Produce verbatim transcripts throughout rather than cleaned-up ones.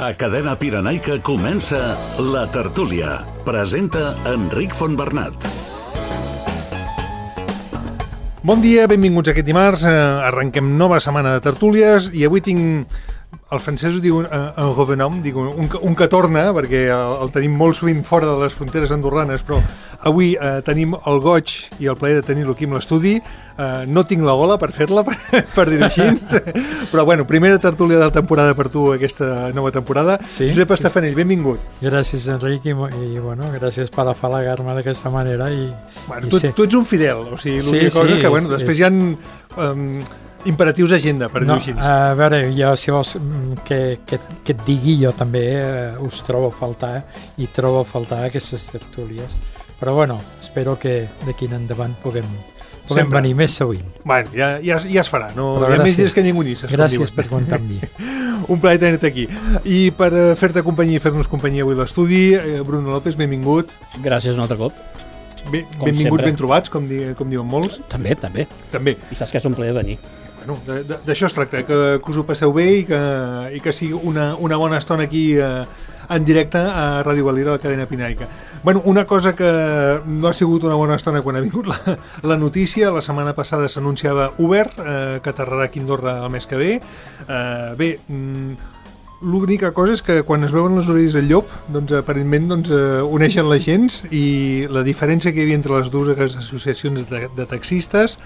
A Cadena Pirenaica comença La Tertúlia. Presenta Enric Fontbernat. Bon dia, benvinguts aquest dimarts. Arrenquem nova setmana de tertúlies i avui tinc... El francès ho diu en revenom, dic un, un que torna, perquè el, el tenim molt sovint fora de les fronteres andorranes, però avui eh, tenim el goig i el plaer de tenir-lo aquí amb l'estudi. Eh, no tinc la gola per fer-la, per, per dir-ho així, però bueno, primera tertúlia de la temporada per tu, aquesta nova temporada. Sí, Josep Estafanell, sí, benvingut. Gràcies, Enric, i, i bueno, gràcies per afalagar-me d'aquesta manera. I, bueno, i tu, sí. tu ets un fidel, o sigui, l'única sí, cosa sí, que, bueno, és, després és... hi ha... Um, imperatius d'agenda, per dir-ho no, així. A veure, jo, si vols que, que, que et digui, jo també eh, us trobo a faltar i trobo a faltar aquestes tertúlies. Però bueno, espero que d'aquí en endavant puguem, puguem venir més sovint. Bueno, ja, ja, ja es farà, no? Però hi ha gràcies, més dies que ningú nisses. Gràcies per comptar amb mi. Un plaer tenir-te aquí. I per fer-te companyia i fer-nos companyia avui a l'estudi, Bruno López, benvingut. Gràcies un altre cop. Bé, benvinguts, sempre. Ben trobats, com, di, com diuen molts. També, també. També. I saps que és un plaer venir. Bueno, d'això es tracta, que, que us ho passeu bé i que, i que sigui una, una bona estona aquí eh, en directe a Ràdio Valira, a la cadena Pirenaica. Bueno, una cosa que no ha sigut una bona estona quan ha vingut la, la notícia, la setmana passada s'anunciava Uber, eh, que aterrarà aquí a Andorra el mes que ve. Eh, bé, mm, l'única cosa és que quan es veuen les orelles del llop, doncs aparentment doncs, eh, uneixen les gens, i la diferència que hi havia entre les dues associacions de, de taxistes,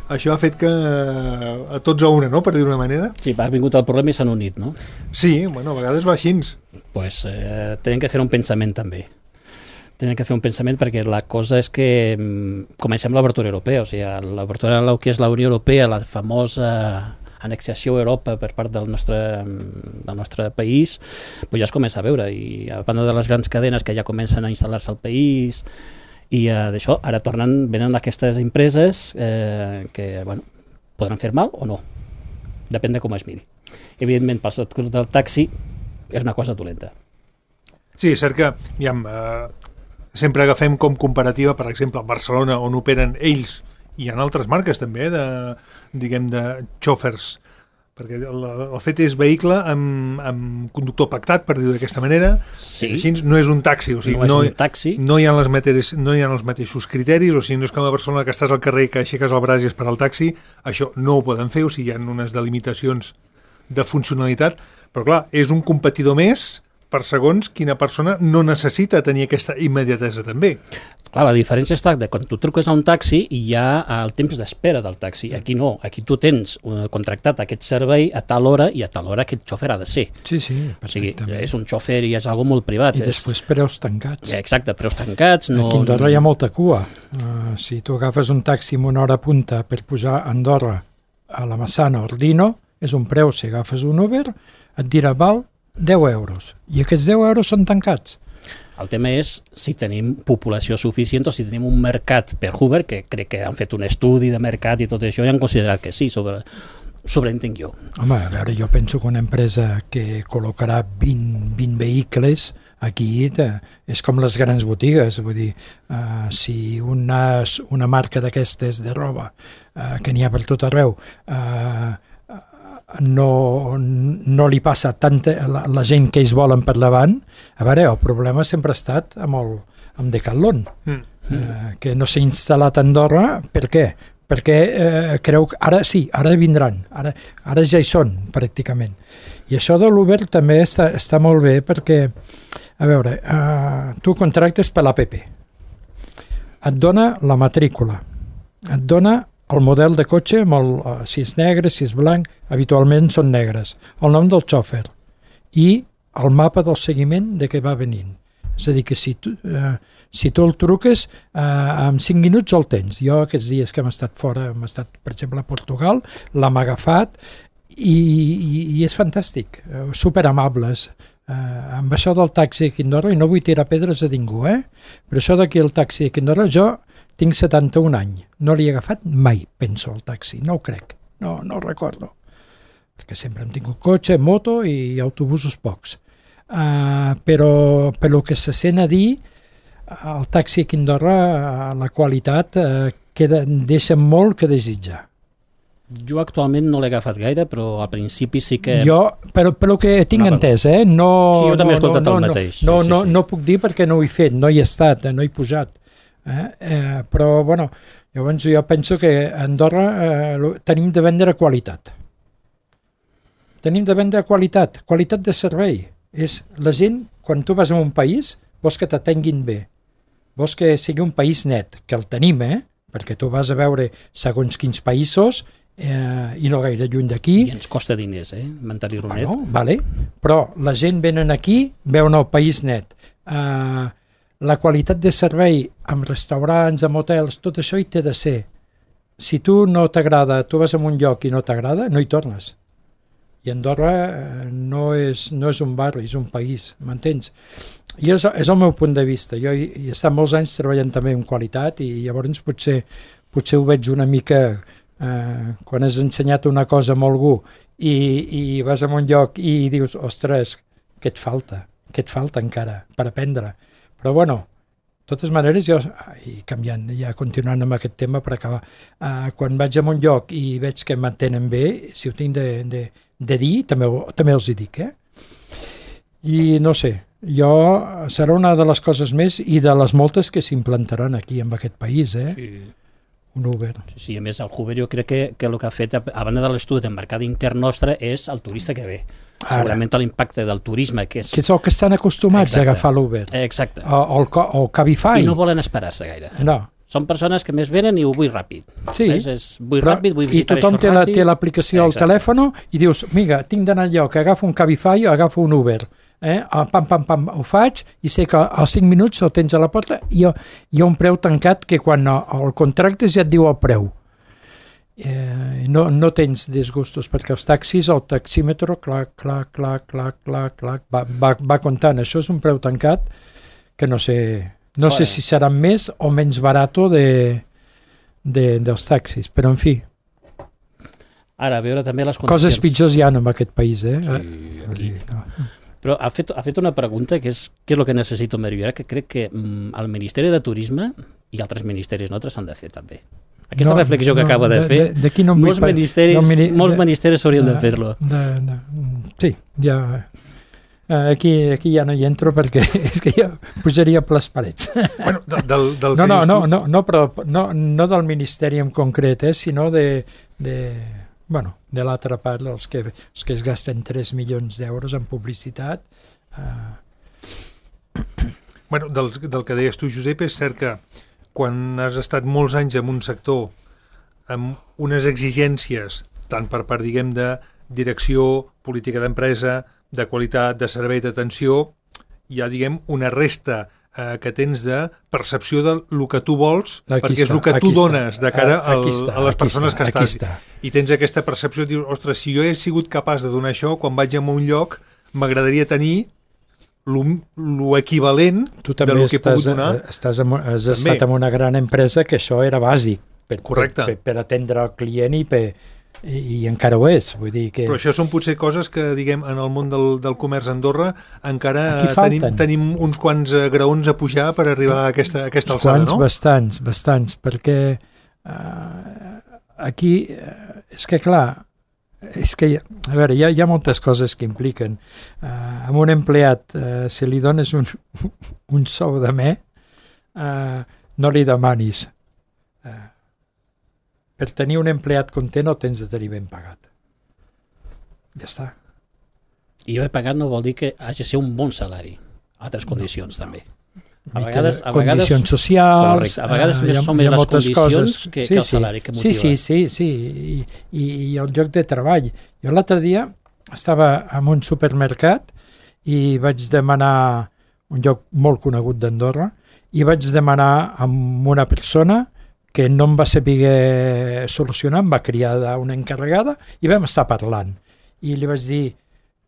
això ha fet que a tots a una, no?, per dir d'una manera. Sí, ha vingut el problema i s'han unit, no? Sí, bueno, a vegades va així. Pues eh, tenen que fer un pensament també. Tenen que fer un pensament perquè la cosa és que mm, comencem l'obertura europea, o sigui, l'obertura del que és la Unió Europea, la famosa annexiació a Europa per part del nostre, del nostre país, pues ja es comença a veure, i a banda de les grans cadenes que ja comencen a instal·lar-se al país, i uh, d'això ara tornen, venen aquestes empreses eh, que, bueno, podran fer mal o no, depèn de com es miri. Evidentment, pel sector del taxi és una cosa dolenta. Sí, és cert que aviam, eh, sempre agafem com comparativa, per exemple, a Barcelona, on operen ells, i en altres marques també, de, diguem, de xòfers, perquè el, el fet és vehicle amb, amb conductor pactat, per dir-ho d'aquesta manera. Sí. Així no és un taxi, o sigui, no, no, és un taxi. no, hi ha les materes, no hi ha els mateixos criteris, o sigui, no és com a Barcelona que estàs al carrer i que aixeques el braç i és per al taxi, això no ho poden fer, o sigui, hi ha unes delimitacions de funcionalitat, però clar, és un competidor més per segons quina persona no necessita tenir aquesta immediatesa també. Clar, la diferència està que quan tu truques a un taxi i hi ha el temps d'espera del taxi. Aquí no, aquí tu tens contractat aquest servei a tal hora i a tal hora aquest xòfer ha de ser. Sí, sí, perfectament. O sigui, és un xòfer i és algo molt privat. I és... després preus tancats. Exacte, preus tancats. No... Aquí a Andorra hi ha molta cua. Uh, si tu agafes un taxi amb una hora punta per pujar a Andorra a la Massana o Ordino, és un preu. Si agafes un Uber, et dirà, val deu euros. I aquests deu euros són tancats. El tema és si tenim població suficient o si tenim un mercat per Uber, que crec que han fet un estudi de mercat i tot això i han considerat que sí, sobre, sobreentenc jo. Home, a veure, jo penso que una empresa que col·locarà vint, vint vehicles aquí te, és com les grans botigues, vull dir, uh, si una, una marca d'aquestes de roba, uh, que n'hi ha per tot arreu, uh, no, no li passa tanta la, la gent que ells volen per davant. A veure, el problema sempre ha estat amb, el, amb Decathlon, mm. eh, que no s'ha instal·lat a Andorra. Per què? Perquè eh, creu que ara sí, ara vindran, ara, ara ja hi són pràcticament. I això de l'Uber també està, està molt bé perquè, a veure, eh, tu contractes per l'A P P, et dona la matrícula, et dona el model de cotxe, amb el, uh, si és negre, si és blanc, habitualment són negres, el nom del xòfer i el mapa del seguiment de què va venint. És a dir, que si tu, uh, si tu el truques, uh, en cinc minuts el tens. Jo aquests dies que hem estat fora, hem estat, per exemple, a Portugal, l'hem agafat i, i, i és fantàstic, uh, superamables. Uh, amb això del taxi aquí a Andorra, i no vull tirar pedres a ningú, eh? Però això d'aquí el taxi aquí a Andorra, jo tinc setanta-un anys, no l'he agafat mai, penso, el taxi, no ho crec, no, no ho recordo, perquè sempre hem tingut cotxe, moto i autobusos pocs. Uh, però per lo que se sent a dir, el taxi aquí a Andorra, la qualitat, uh, queda, deixa molt que desitjar. Jo actualment no l'he agafat gaire, però al principi sí que... Jo, però, però que tinc no, entès, eh? No, sí, jo també no, he escoltat no, el no, mateix. No, sí, no, sí, sí. no puc dir perquè no ho he fet, no hi he estat, no hi he posat. Eh? Eh, però, bueno, llavors jo penso que a Andorra eh, tenim de vendre qualitat. Tenim de vendre qualitat, qualitat de servei. És la gent, quan tu vas a un país, vols que t'atenguin bé. Vols que sigui un país net, que el tenim, eh? Perquè tu vas a veure segons quins països eh, i no gaire lluny d'aquí. I ens costa diners, eh? Mantenir-ho net. Bueno, vale. Però la gent venen aquí, veuen el país net. Uh, la qualitat de servei amb restaurants, amb hotels, tot això hi té de ser. Si tu no t'agrada, tu vas a un lloc i no t'agrada, no hi tornes. I Andorra no és, no és un barri, és un país, m'entens? I és, és el meu punt de vista. Jo he, he estat molts anys treballant també en qualitat i llavors potser, potser ho veig una mica eh, quan has ensenyat una cosa a algú i, i vas a un lloc i dius, ostres, què et falta? Què et falta encara per aprendre? Però bueno, de totes maneres, jo, i canviant, ja continuant amb aquest tema per acabar, eh, quan vaig a un lloc i veig que m'entenen bé, si ho tinc de, de, de dir, també, també els hi dic, eh? I no sé, jo serà una de les coses més i de les moltes que s'implantaran aquí en aquest país, eh? Sí. Un Uber. Sí, sí, a més el Uber jo crec que, que el que ha fet, a banda de l'estudi del mercat intern nostre, és el turista que ve. Ara. Segurament l'impacte del turisme, que és... Que és el que estan acostumats Exacte. a agafar l'Uber. Exacte. O, o, el, o el Cabify. I no volen esperar-se gaire. No. Són persones que més venen i ho vull ràpid. Sí, és, és, vull però, ràpid, vull i visitar tothom això té, la, ràpid. té l'aplicació al Exacte. telèfon i dius, mira, tinc d'anar enlloc, agafo un Cabify o agafo un Uber. Eh? Pam, pam, pam, ho faig i sé que als cinc minuts el tens a la porta i hi ha, hi ha un preu tancat que quan el contractes ja et diu el preu. Eh, no, no tens disgustos perquè els taxis, el taxímetre clac, clac, clac, clac, clac, clac va, va, va comptant, això és un preu tancat que no sé no sé si serà més o menys barato de, de, dels taxis, però en fi ara, a veure també les condicions. Coses pitjors hi ha en aquest país, eh? Sí, aquí. No. Però ha fet, ha fet una pregunta que és què és el que necessito millorar, que crec que mm, el Ministeri de Turisme i altres ministeris nostres s'han de fer també. Aquesta no, reflexió que no, acabo de, de fer, de, de no molts, ministeris, no, mini, molts de, ministeris haurien de, de fer-lo. De, de, sí, ja... Aquí, aquí ja no hi entro perquè és que ja pujaria per les parets. Bueno, del, del, del no, no, no, no, no, però no, no del Ministeri en concret, eh, sinó de, de, bueno, de l'altra part, els que, els que es gasten tres milions d'euros en publicitat. Eh... Bueno, del, del que deies tu, Josep, és cert que quan has estat molts anys en un sector amb unes exigències, tant per part, diguem, de direcció, política d'empresa, de qualitat, de servei, d'atenció, hi ha, diguem, una resta eh, que tens de percepció del que tu vols, aquí perquè està, és el que tu dones de cara al, està, a les persones està, que estàs. Està. I tens aquesta percepció, dius, ostres, si jo he sigut capaç de donar això, quan vaig a un lloc, m'agradaria tenir l'equivalent del que he pogut donar. Estàs en, has també. estat en una gran empresa que això era bàsic per, Correcte. per, per atendre el client i, per, i, i encara ho és. Vull dir que... Però això són potser coses que, diguem, en el món del, del comerç a Andorra encara tenim, tenim uns quants graons a pujar per arribar a aquesta, a aquesta alçada, quants, no? Bastants, bastants, perquè uh, aquí, uh, és que clar, és que, a veure, hi ha, hi ha moltes coses que impliquen. Uh, amb un empleat, uh, si li dones un, un sou de me, uh, no li demanis. Uh, per tenir un empleat content el tens de tenir ben pagat. Ja està. I ben pagat no vol dir que hagi de ser un bon salari. Altres condicions, no, no. també. A vegades, a vegades, condicions socials, correcte. A vegades uh, més són més les condicions coses. que, sí, que el salari que motiva. Sí, sí, sí, sí. I, i, i el lloc de treball. Jo l'altre dia estava en un supermercat i vaig demanar un lloc molt conegut d'Andorra i vaig demanar amb una persona que no em va saber solucionar, em va criar d'una encarregada i vam estar parlant. I li vaig dir,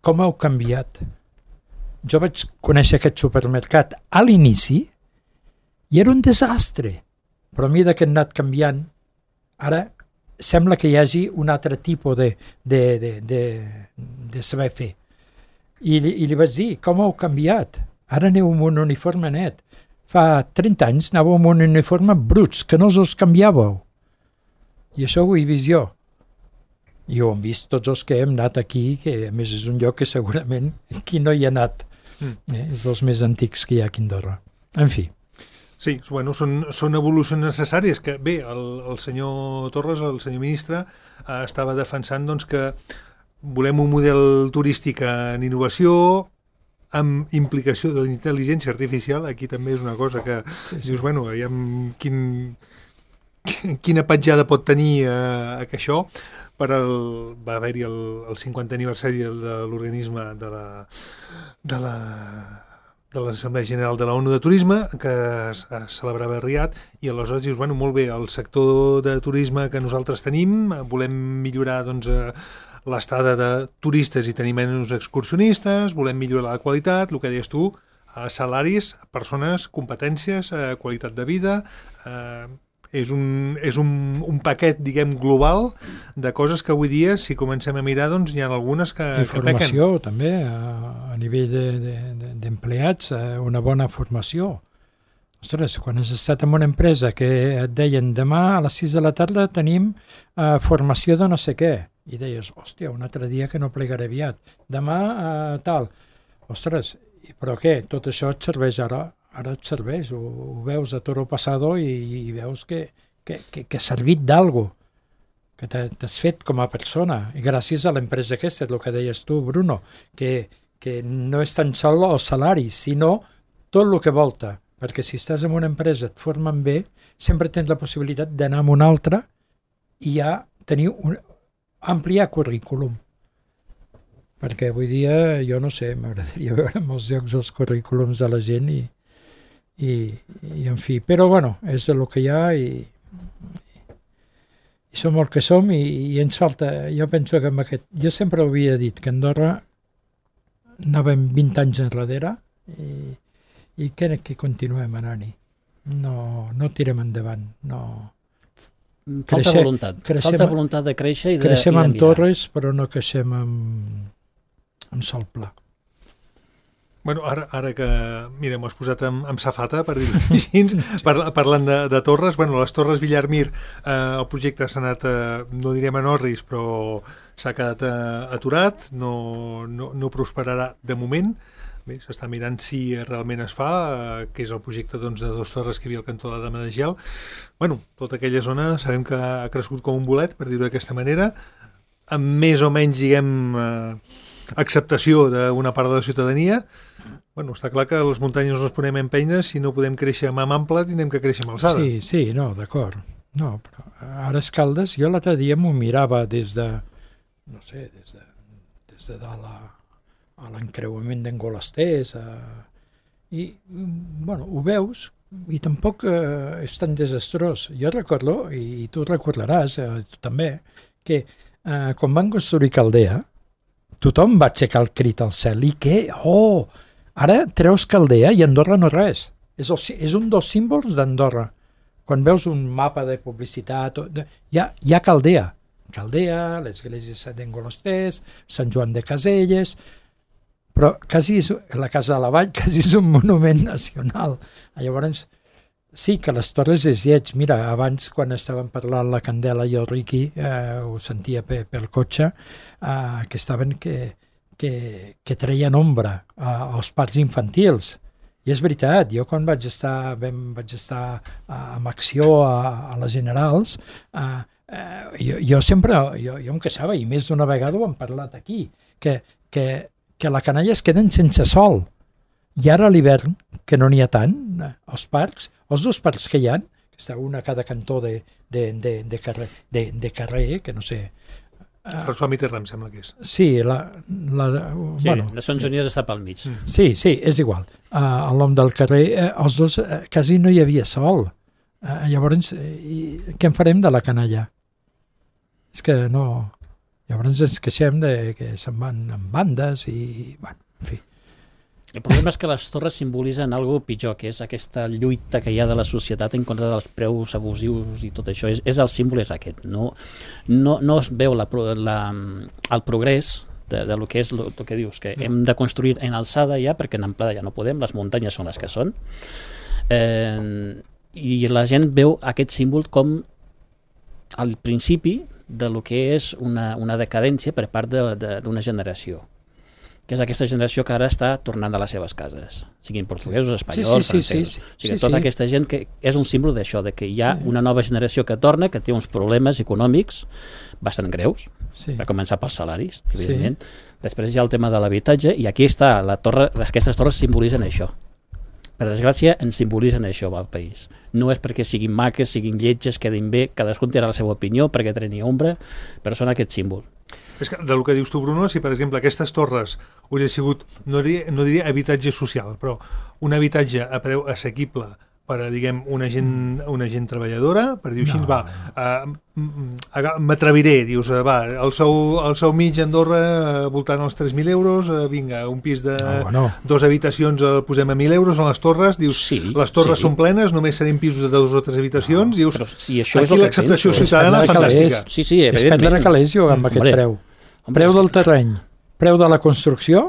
com heu canviat? Jo vaig conèixer aquest supermercat a l'inici i era un desastre, però a mesura que he anat canviant, ara sembla que hi hagi un altre tipus de, de, de, de, de saber fer. I, I li vaig dir, com heu canviat? Ara aneu amb un uniforme net. Fa trenta anys anàveu amb un uniforme bruts, que no us els canviàveu. I això ho he vist jo. I ho hem vist tots els que hem anat aquí, que a més és un lloc que segurament qui no hi ha anat. Mm. Eh? És dels més antics que hi ha aquí a Andorra. En fi. Sí, bueno, són, són evolucions necessàries que, bé, el, el senyor Torres, el senyor ministre, eh, estava defensant doncs, que volem un model turístic en innovació, amb implicació de la intel·ligència artificial. Aquí també és una cosa que sí, sí. dius, bueno, aviam quin, quina petjada pot tenir eh, que això. Per el, va haver-hi el, el cinquantè aniversari de l'organisme de la, de la de l'Assemblea General de la ONU de Turisme, que es, es celebrava a Riad, i aleshores dius, bueno, molt bé, el sector de turisme que nosaltres tenim, volem millorar doncs, l'estada de turistes i tenir menys excursionistes, volem millorar la qualitat, el que deies tu, salaris, persones, competències, qualitat de vida... Eh, és un, és un, un paquet, diguem, global de coses que avui dia, si comencem a mirar, doncs hi ha algunes que, I que pequen. Formació, també, a, a nivell d'empleats, de, de, de, una bona formació. Ostres, quan has estat en una empresa que et deien demà a les sis de la tarda tenim uh, formació de no sé què, i deies, hòstia, un altre dia que no plegaré aviat, demà uh, tal. Ostres, però què? Tot això et serveix ara? Ara et serveix, ho, ho veus a toro passado i, i veus que, que, que, que ha servit d'algo, que t'has fet com a persona, i gràcies a l'empresa aquesta, és el que deies tu, Bruno, que, que no és tan sol els salaris, sinó tot el que volta, perquè si estàs en una empresa et formen bé, sempre tens la possibilitat d'anar a una altra i ja tenir un, ampliar currículum. Perquè avui dia, jo no sé, m'agradaria veure en molts llocs els currículums de la gent i I, i en fi, però bueno, és el que hi ha i, i som el que som i, i ens falta, jo penso que amb aquest, jo sempre havia dit que Andorra anàvem vint anys enrere i, i que, que continuem anant-hi, no, no tirem endavant, no... Falta Creixer, voluntat, creixem, falta voluntat de créixer i de, creixem i de amb mirar. torres però no creixem amb, amb sol pla. Bueno, ara, ara que, mira, m'ho has posat amb, amb safata, per dir-ho així, par, parlant de, de torres, bueno, les Torres Villarmir, eh, el projecte s'ha anat, eh, no direm en orris, però s'ha quedat eh, aturat, no, no, no prosperarà de moment. Bé, s'està mirant si realment es fa, eh, que és el projecte doncs, de dos torres que hi havia al cantó de la Dama de Gel. Bueno, tota aquella zona sabem que ha crescut com un bolet, per dir-ho d'aquesta manera, amb més o menys, diguem, eh, acceptació d'una part de la ciutadania. Bueno, està clar que les muntanyes no les podem empènyer, si no podem créixer amb ample, tindrem que créixer amb alçada. Sí, sí, no, d'acord. No, però ara Escaldes, jo l'altre dia m'ho mirava des de, no sé, des de, des de dalt a, a l'encreuament d'Engolasters, a... i, bueno, ho veus, i tampoc eh, és tan desastrós. Jo recordo, i tu recordaràs, eh, tu també, que eh, quan van construir Caldea, tothom va aixecar el crit al cel. I què? Oh! Ara treus Caldea i Andorra no res. És, el, és un dels símbols d'Andorra. Quan veus un mapa de publicitat, hi ha, hi ha Caldea. Caldea, l'església d'Engolasters, Sant Joan de Caselles, però quasi és, la Casa de la Vall quasi és un monument nacional. Llavors, sí que les torres és lleig. Mira, abans quan estaven parlant la Candela i el Riqui, eh, ho sentia pe, pel cotxe, eh, que estaven que, que, que treien ombra eh, als parcs infantils. I és veritat, jo quan vaig estar, vam, vaig estar eh, amb acció a, a les Generals, eh, eh, jo, jo sempre, jo, jo em queixava, i més d'una vegada ho hem parlat aquí, que, que, que la canalla es queden sense sol. I ara a l'hivern, que no n'hi ha tant, eh, als parcs, els dos parcs que hi ha, que està una a cada cantó de, de, de, de, carrer, de, de carrer, que no sé... Uh, François Mitterrand, em sembla que és. Sí, la... la sí, bueno, Nacions Unides està pel mig. Mm. Sí, sí, és igual. Uh, el nom del carrer, uh, els dos, uh, quasi no hi havia sol. Uh, llavors, uh, què en farem de la canalla? És que no... Llavors ens queixem de que se'n van en bandes i... Bueno, en fi. El problema és que les torres simbolitzen algo pitjor, que és aquesta lluita que hi ha de la societat en contra dels preus abusius i tot això. És, és el símbol és aquest. No, no, no es veu la, la, el progrés de, de lo que és el que dius, que hem de construir en alçada ja, perquè en amplada ja no podem, les muntanyes són les que són. Eh, I la gent veu aquest símbol com al principi de lo que és una, una decadència per part d'una generació, que és aquesta generació que ara està tornant a les seves cases, siguin portuguesos, espanyols, sí, sí, francesos. sí, sí, o sigui, sí, tota sí. aquesta gent que és un símbol d'això, de que hi ha sí. una nova generació que torna, que té uns problemes econòmics bastant greus, sí. per començar pels salaris, evidentment. Sí. Després hi ha el tema de l'habitatge, i aquí està, la torre, aquestes torres simbolitzen això. Per desgràcia, ens simbolitzen això al país. No és perquè siguin maques, siguin lletges, quedin bé, cadascun té la seva opinió, perquè tenen ombra, però són aquest símbol. És que del que dius tu, Bruno, si per exemple aquestes torres haurien sigut, no diria, no diria habitatge social, però un habitatge a preu assequible per a, diguem, una gent, una gent treballadora, per dir-ho així, no. va, uh, m'atreviré, dius, uh, va, el sou, el sou mig a Andorra uh, voltant als tres mil euros, uh, vinga, un pis de no, bueno. dos habitacions el posem a mil euros, a les torres, dius, sí, les torres sí. són plenes, només serem pisos de dues o tres habitacions, no, dius, si això aquí l'acceptació ciutadana és fantàstica. Sí, sí, és prendre calés jo amb aquest Hombre. preu. Preu del terreny, preu de la construcció,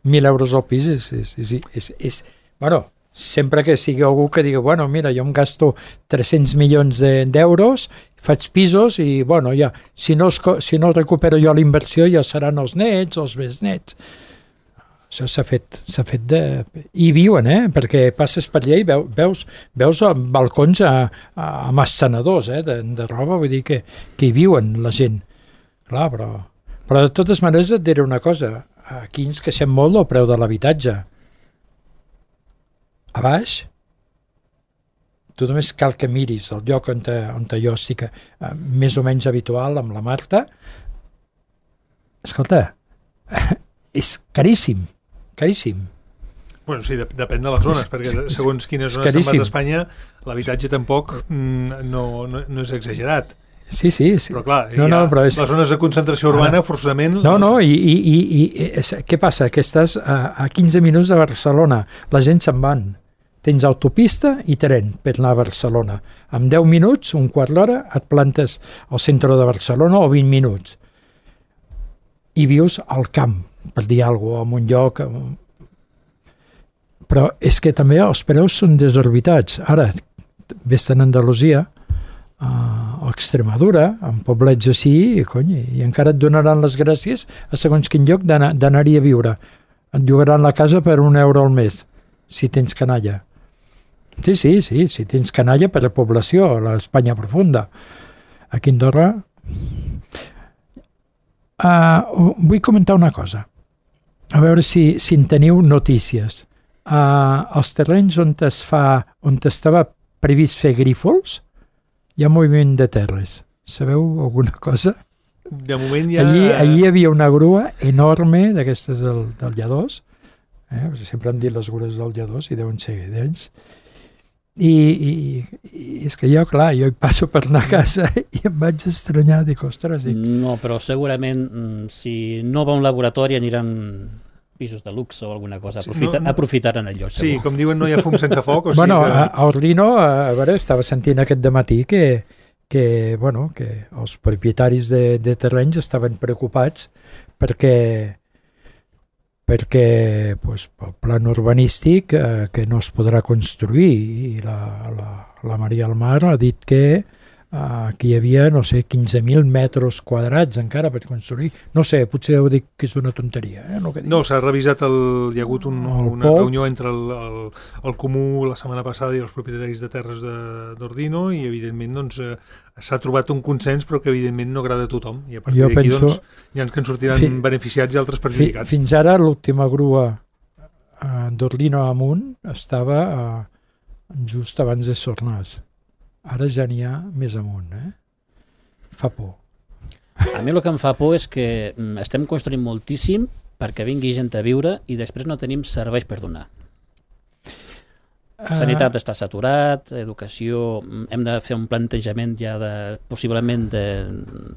mil euros al pis, és, és, és, és, és, bueno, sempre que sigui algú que digui, bueno, mira, jo em gasto tres-cents milions d'euros, faig pisos i, bueno, ja, si no, es, si no recupero jo la inversió ja seran els nets, els besnets. Això s'ha fet, s'ha fet de... I viuen, eh? Perquè passes per allà i veu, veus, veus balcons a, a, amb estenedors, eh? De, de roba, vull dir que, que hi viuen la gent. Clar, però... Però de totes maneres et diré una cosa, aquí ens queixem molt del preu de l'habitatge. A baix, tu només cal que miris el lloc on, te, on te jo estic eh, més o menys habitual amb la Marta. Escolta, és caríssim, caríssim. Bueno, sí, depèn de les zones, és, perquè segons quines zones se'n vas a Espanya, l'habitatge tampoc mm, no, no, no és exagerat. Sí, sí, sí. Però clar, no, no, però és... les zones de concentració urbana, forçosament... No, no, i, i, i, i és, què passa? Que estàs a, a quinze minuts de Barcelona, la gent se'n van. Tens autopista i tren per anar a Barcelona. En deu minuts, un quart d'hora, et plantes al centre de Barcelona o vint minuts. I vius al camp, per dir alguna cosa, en un lloc... Però és que també els preus són desorbitats. Ara, vés-te'n a Andalusia, a Extremadura, en poblets així, i, cony, i encara et donaran les gràcies a segons quin lloc d'anar-hi a viure. Et llogaran la casa per un euro al mes, si tens canalla. Sí, sí, sí, si tens canalla per a població, a l'Espanya profunda. Aquí a Andorra... Uh, vull comentar una cosa, a veure si, si en teniu notícies. Uh, els terrenys on es fa, on estava previst fer grífols, hi ha moviment de terres. Sabeu alguna cosa? De moment ja... Allí, allí hi havia una grua enorme d'aquestes del, del Lledós, eh? Sempre han dit les grues del Lledós i deuen ser d'ells. I, i, I és que jo, clar, jo hi passo per anar a casa i em vaig estranyar, dic, ostres... Dic... No, però segurament si no va a un laboratori aniran pisos de luxe o alguna cosa, Aprofita, sí, no, aprofitaran el lloc. Sí, segur. com diuen, no hi ha fum sense foc. O sigui bueno, que... a, a Ordino, a veure, estava sentint aquest dematí que, que, bueno, que els propietaris de, de terrenys estaven preocupats perquè perquè pues, el plan urbanístic eh, que no es podrà construir i la, la, la Maria Almar ha dit que aquí hi havia, no sé, quinze mil metres quadrats encara per construir. No sé, potser ho dic que és una tonteria. Eh? No, no s'ha revisat, el, hi ha hagut un, una Pol. reunió entre el, el, el Comú la setmana passada i els propietaris de terres d'Ordino i evidentment doncs, s'ha trobat un consens però que evidentment no agrada a tothom i a partir d'aquí penso... doncs, hi ha que en sortiran fi, beneficiats i altres perjudicats. Fi, fins ara l'última grua uh, d'Ordino amunt estava uh, just abans de Sornàs. Ara ja n'hi ha més amunt, eh? Fa por. A mi el que em fa por és que estem construint moltíssim perquè vingui gent a viure i després no tenim serveis per donar. Sanitat està saturat, educació, hem de fer un plantejament ja de, possiblement de,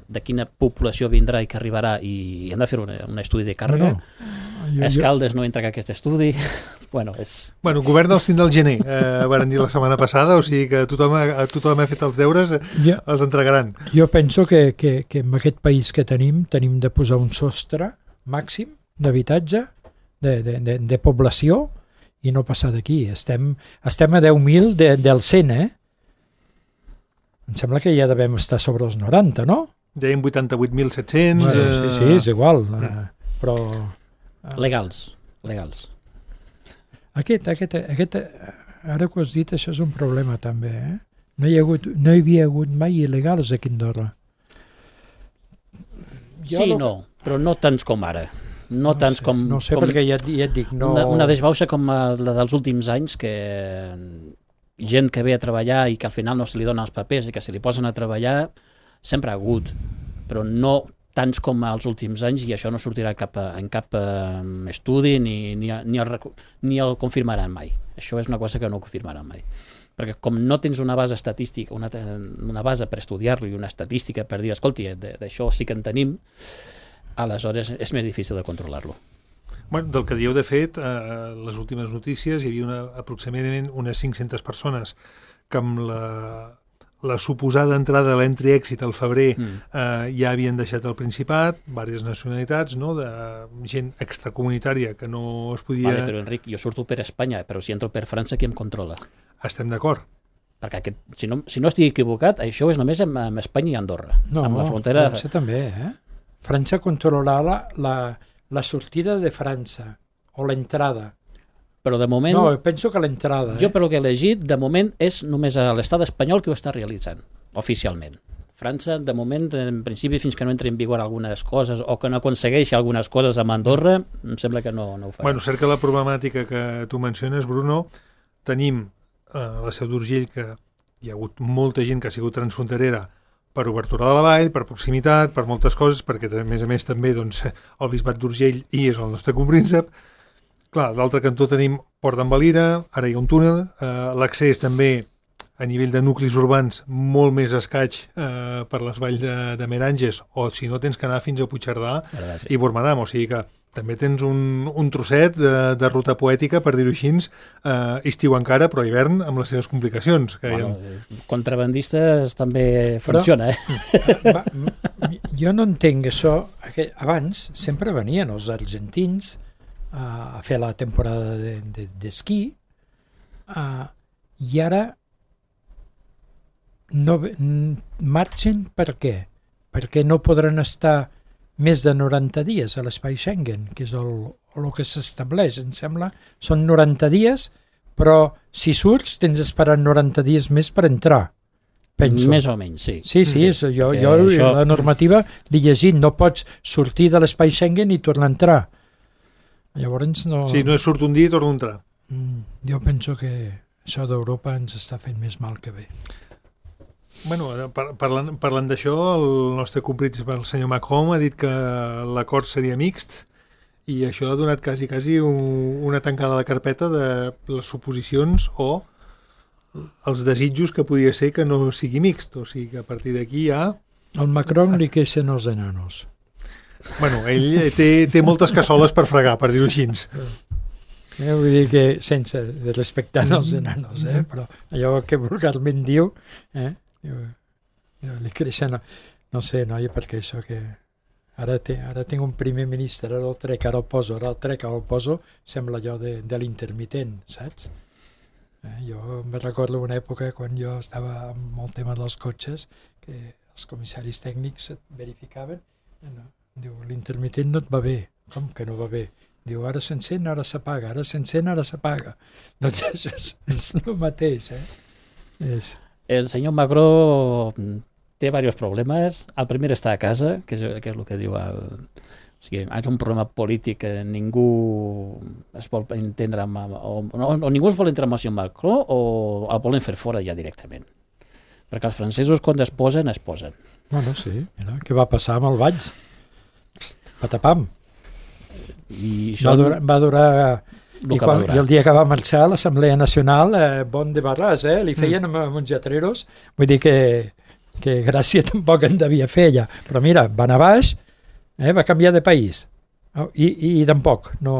de quina població vindrà i que arribarà i hem de fer un, un estudi de càrrega. No, no. Jo, Escaldes no entra en aquest estudi. bueno, és... Bueno, el govern els tindrà al gener, eh, van dir la setmana passada, o sigui que tothom ha, tothom ha fet els deures, eh, jo, els entregaran. Jo penso que, que, que en aquest país que tenim, tenim de posar un sostre màxim d'habitatge, de, de, de, de població, i no passar d'aquí. Estem, estem a deu mil de, del cent, eh? Em sembla que ja devem estar sobre els noranta, no? Deien vuitanta-vuit mil set-cents... Bueno, eh... sí, sí, és igual, eh, però... Eh, Legals, legals. Aquest, aquest, aquest, ara que ho has dit, això és un problema també, eh? No hi, ha hagut, no hi havia hagut mai il·legals aquí a Andorra. Jo sí, lo... no, però no tants com ara. No, no tants sé, com... No sé, com perquè ja, ja et dic... No... Una, una desbauxa com la dels últims anys, que gent que ve a treballar i que al final no se li donen els papers i que se li posen a treballar, sempre ha hagut, però no tants com els últims anys, i això no sortirà cap a, en cap eh, estudi ni, ni, ni, el, ni el confirmaran mai. Això és una cosa que no confirmaran mai. Perquè com no tens una base estadística, una, una base per estudiar-lo i una estadística per dir, escolti, d'això sí que en tenim, aleshores és més difícil de controlar-lo. Bueno, del que dieu, de fet, eh, les últimes notícies, hi havia una, aproximadament unes cinc-centes persones que amb la, la suposada entrada de l'entri-èxit al febrer mm. eh, ja havien deixat el Principat, diverses nacionalitats, no?, de gent extracomunitària que no es podia... Vale, però Enric, jo surto per Espanya, però si entro per França, qui em controla? Estem d'acord. Perquè aquest, si, no, si no estic equivocat, això és només amb, amb Espanya i Andorra. No, amb la frontera... França també, eh? França controlarà la, la sortida de França, o l'entrada. Però de moment... No, penso que l'entrada. Jo, eh? per lo que he llegit, de moment és només a l'estat espanyol que ho està realitzant, oficialment. França, de moment, en principi, fins que no entri en vigor algunes coses o que no aconsegueixi algunes coses amb Andorra, em sembla que no, no ho farà. Bueno, cert que la problemàtica que tu menciones, Bruno, tenim a la Seu d'Urgell que hi ha hagut molta gent que ha sigut transfronterera per obertura de la vall, per proximitat, per moltes coses, perquè a més a més també doncs, el Bisbat d'Urgell i és el nostre compríncep. Clar, d'altre cantó tenim Port d'en Valira, ara hi ha un túnel, eh, l'accés també a nivell de nuclis urbans molt més escaig eh, per les valls de, de Meranges, o si no tens que anar fins a Puigcerdà sí. i Bormadam, o sigui que també tens un, un trosset de, de ruta poètica, per dir-ho així, eh, estiu encara, però hivern amb les seves complicacions. Que bueno, ha... Contrabandistes també funciona, eh? Va, jo no entenc això. Abans sempre venien els argentins a fer la temporada d'esquí de, de, i ara no marxen per què? Perquè no podran estar més de noranta dies a l'espai Schengen, que és el, el que s'estableix, em sembla. Són noranta dies, però si surts tens d'esperar noranta dies més per entrar, penso. Més o menys, sí. Sí, sí, és, jo, jo això... la normativa l'he llegit, no pots sortir de l'espai Schengen i tornar a entrar. Llavors no... Sí, no és surt un dia i torna a entrar. Mm, jo penso que això d'Europa ens està fent més mal que bé. Bueno, par parlant, parlant d'això, el nostre compríncep, el senyor Macron, ha dit que l'acord seria mixt i això ha donat quasi, quasi un, una tancada a la carpeta de les suposicions o els desitjos que podria ser que no sigui mixt. O sigui que a partir d'aquí ja... Al Macron li queixen els enanos. Bueno, ell té, té moltes cassoles per fregar, per dir-ho així. Eh, vull dir que sense respectar els enanos, eh? Però allò que vulgarment diu... Eh? Jo, jo li creixen, no, no sé, noia, perquè això que ara, té, ara tinc un primer ministre, ara el trec, ara el poso, ara el trec, ara el poso, sembla allò de, de l'intermitent, saps? Eh, jo me recordo una època quan jo estava amb el tema dels cotxes, que els comissaris tècnics et verificaven, no, diu, l'intermitent no et va bé, com que no va bé? Diu, ara s'encén, ara s'apaga, ara s'encén, ara s'apaga. Doncs això és, és el mateix, eh? És... El senyor Macron té diversos problemes. El primer està a casa, que és, que és el que diu el... O sigui, és un problema polític que ningú es vol entendre amb, o, o, o ningú es vol entendre amb el senyor Macron o el volen fer fora ja directament. Perquè els francesos quan es posen, es posen. Bueno, sí, mira, què va passar amb el Valls? Patapam. I això... Va durar... Va durar I, quan, I el dia que va marxar a l'Assemblea Nacional, eh, bon de barràs, eh? Li feien mm. amb uns lletreros, vull dir que, que gràcia tampoc en devia fer ella, però mira, va anar baix, eh? Va canviar de país, oh, i, i, i tampoc, no...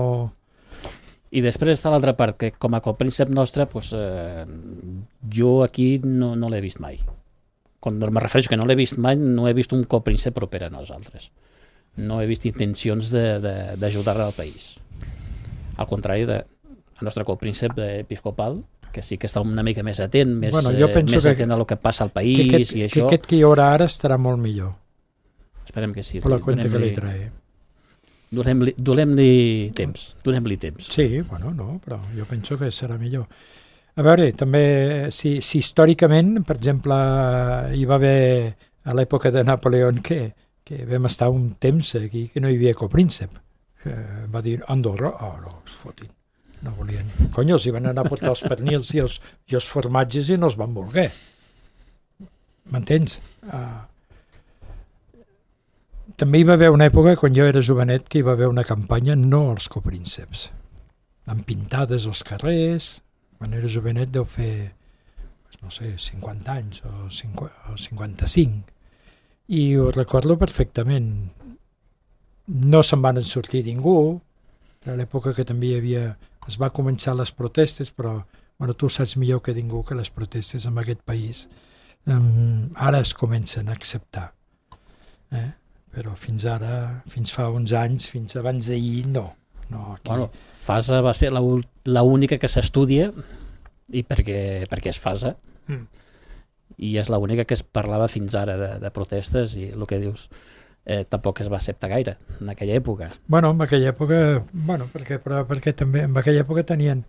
I després està l'altra part, que com a copríncep nostre, pues, eh, jo aquí no, no l'he vist mai. Quan me refereixo que no l'he vist mai, no he vist un copríncep proper a nosaltres. No he vist intencions d'ajudar al país. Al contrari del nostre copríncep episcopal, que sí que està una mica més atent, més, bueno, eh, més atent a el que passa al país que aquest, i això. Que aquest que hi haurà ara estarà molt millor. esperem que sí. Per la cuenta que li trae. Donem-li donem-li temps, donem-li temps. Sí, bueno, no, però jo penso que serà millor. A veure, també, si, si històricament, per exemple, hi va haver a l'època de Napoleó que, que vam estar un temps aquí que no hi havia copríncep. Eh, va dir Andorra, oh no, es fotin, no volien. Conyo, els hi van anar a portar els pernils i els, i els formatges i no els van voler. M'entens? Ah. També hi va haver una època, quan jo era jovenet, que hi va haver una campanya no als coprínceps, amb pintades als carrers. Quan era jovenet deu fer, no sé, cinquanta anys o cinquanta-cinc. I ho recordo perfectament. No se'n van sortir ningú. A l'època que també hi havia... Es va començar les protestes, però bueno, tu saps millor que ningú que les protestes en aquest país um, ara es comencen a acceptar. Eh? Però fins ara, fins fa uns anys, fins abans d'ahir, no. no aquí... Bueno, Fasa va ser l'única que s'estudia, i perquè, perquè és Fasa, mm. i és l'única que es parlava fins ara de, de protestes, i el que dius, eh, tampoc es va acceptar gaire en aquella època. Bueno, en aquella època, bueno, perquè, però, perquè també en aquella època tenien,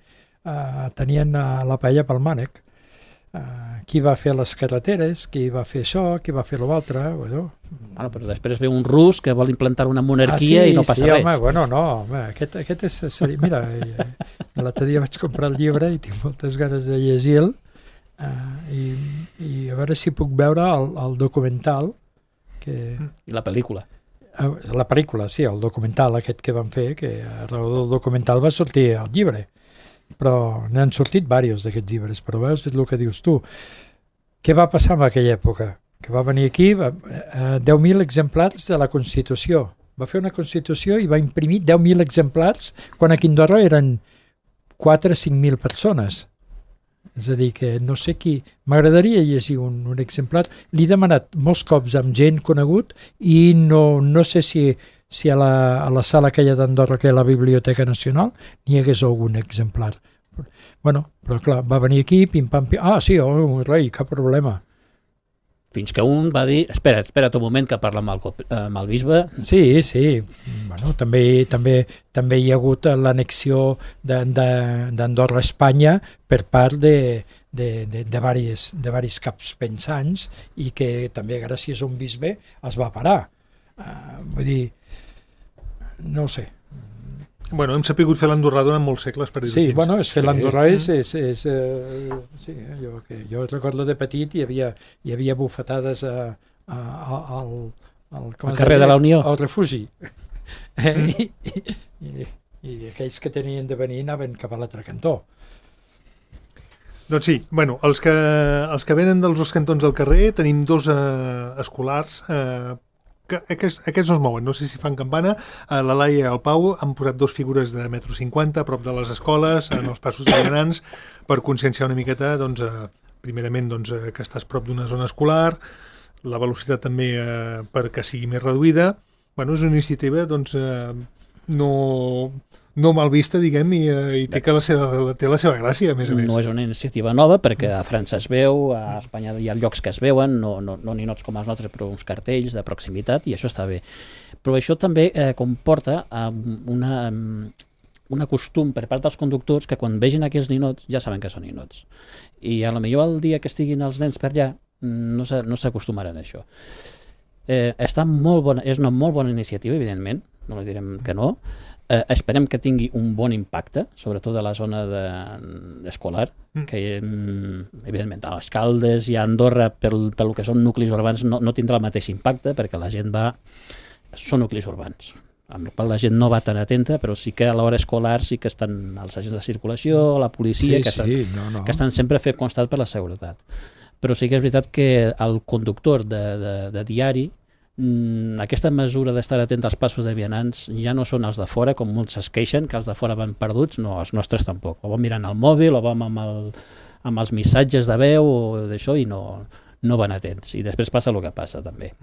uh, tenien uh, la paella pel mànec. Uh, qui va fer les carreteres, qui va fer això, qui va fer l'altre, bueno. Bueno, però després ve un rus que vol implantar una monarquia ah, sí, i no passa sí, res. Home, bueno, no, home, aquest, aquest és... Seria, mira, l'altre dia vaig comprar el llibre i tinc moltes ganes de llegir-lo uh, i, i a veure si puc veure el, el documental que... I la pel·lícula. Uh, la pel·lícula, sí, el documental aquest que van fer, que a raó del documental va sortir el llibre. Però n'han sortit diversos d'aquests llibres, però veus el que dius tu. Què va passar en aquella època? Que va venir aquí va, eh, deu mil exemplars de la Constitució. Va fer una Constitució i va imprimir deu mil exemplars quan aquí a Andorra eren quatre o cinc mil persones. És a dir, que no sé qui... M'agradaria llegir un, un exemplar. L'he demanat molts cops amb gent conegut i no, no sé si... si a la, a la sala aquella d'Andorra, que és la Biblioteca Nacional, n'hi hagués algun exemplar. Bueno, però clar, va venir aquí, pim-pam, pim... Ah, sí, oh, rei, cap problema. Fins que un va dir, espera't, espera't un moment que parla amb el, amb el bisbe. Sí, sí, bueno, també, també, també hi ha hagut l'anexió d'Andorra a Espanya per part de, de, de, de, varis, de varis caps pensants i que també gràcies a un bisbe es va parar. Uh, vull dir, no ho sé. Bueno, hem sapigut fer l'andorrà durant molts segles, per dir-ho sí, així. Bueno, és que l'andorrà és... és, és uh, sí, jo, que jo recordo de petit hi havia, hi havia bufetades a, a, a, al, al, al carrer de la Unió. Al refugi. Mm. I, i, i, I aquells que tenien de venir anaven cap a l'altre cantó. Doncs sí, bueno, els que, els que venen dels dos cantons del carrer tenim dos eh, escolars eh, que aquests, aquests no es mouen, no sé si fan campana. A la Laia i al Pau han posat dos figures de metro cinquanta a prop de les escoles, en els passos de vianants, per conscienciar una miqueta, doncs, eh, primerament doncs, eh, que estàs prop d'una zona escolar, la velocitat també eh, perquè sigui més reduïda. Bueno, és una iniciativa doncs, eh, no, no mal vista, diguem, i, eh, i té, que la seva, té la seva gràcia, a més a més. No és una iniciativa nova, perquè a França es veu, a Espanya hi ha llocs que es veuen, no, no, no ninots com els nostres, però uns cartells de proximitat, i això està bé. Però això també eh, comporta eh, una, una costum per part dels conductors que quan vegin aquests ninots ja saben que són ninots. I a lo millor el dia que estiguin els nens per allà no s'acostumaran a això. Eh, està molt bona, és una molt bona iniciativa, evidentment, no li direm que no. Eh, esperem que tingui un bon impacte, sobretot a la zona de, escolar, mm. que evidentment a les Caldes i a Andorra pel, pel que són nuclis urbans no, no tindrà el mateix impacte perquè la gent va... són nuclis urbans, amb la qual la gent no va tan atenta, però sí que a l'hora escolar sí que estan els agents de circulació, la policia, sí, que, sí, estan, no, no. que estan sempre fent constat per la seguretat. Però sí que és veritat que el conductor de, de, de diari, mmm, aquesta mesura d'estar atent als passos de vianants ja no són els de fora, com molts es queixen, que els de fora van perduts, no, els nostres tampoc. O van mirant el mòbil, o van amb, el, amb els missatges de veu, o d'això, i no, no van atents. I després passa el que passa, també.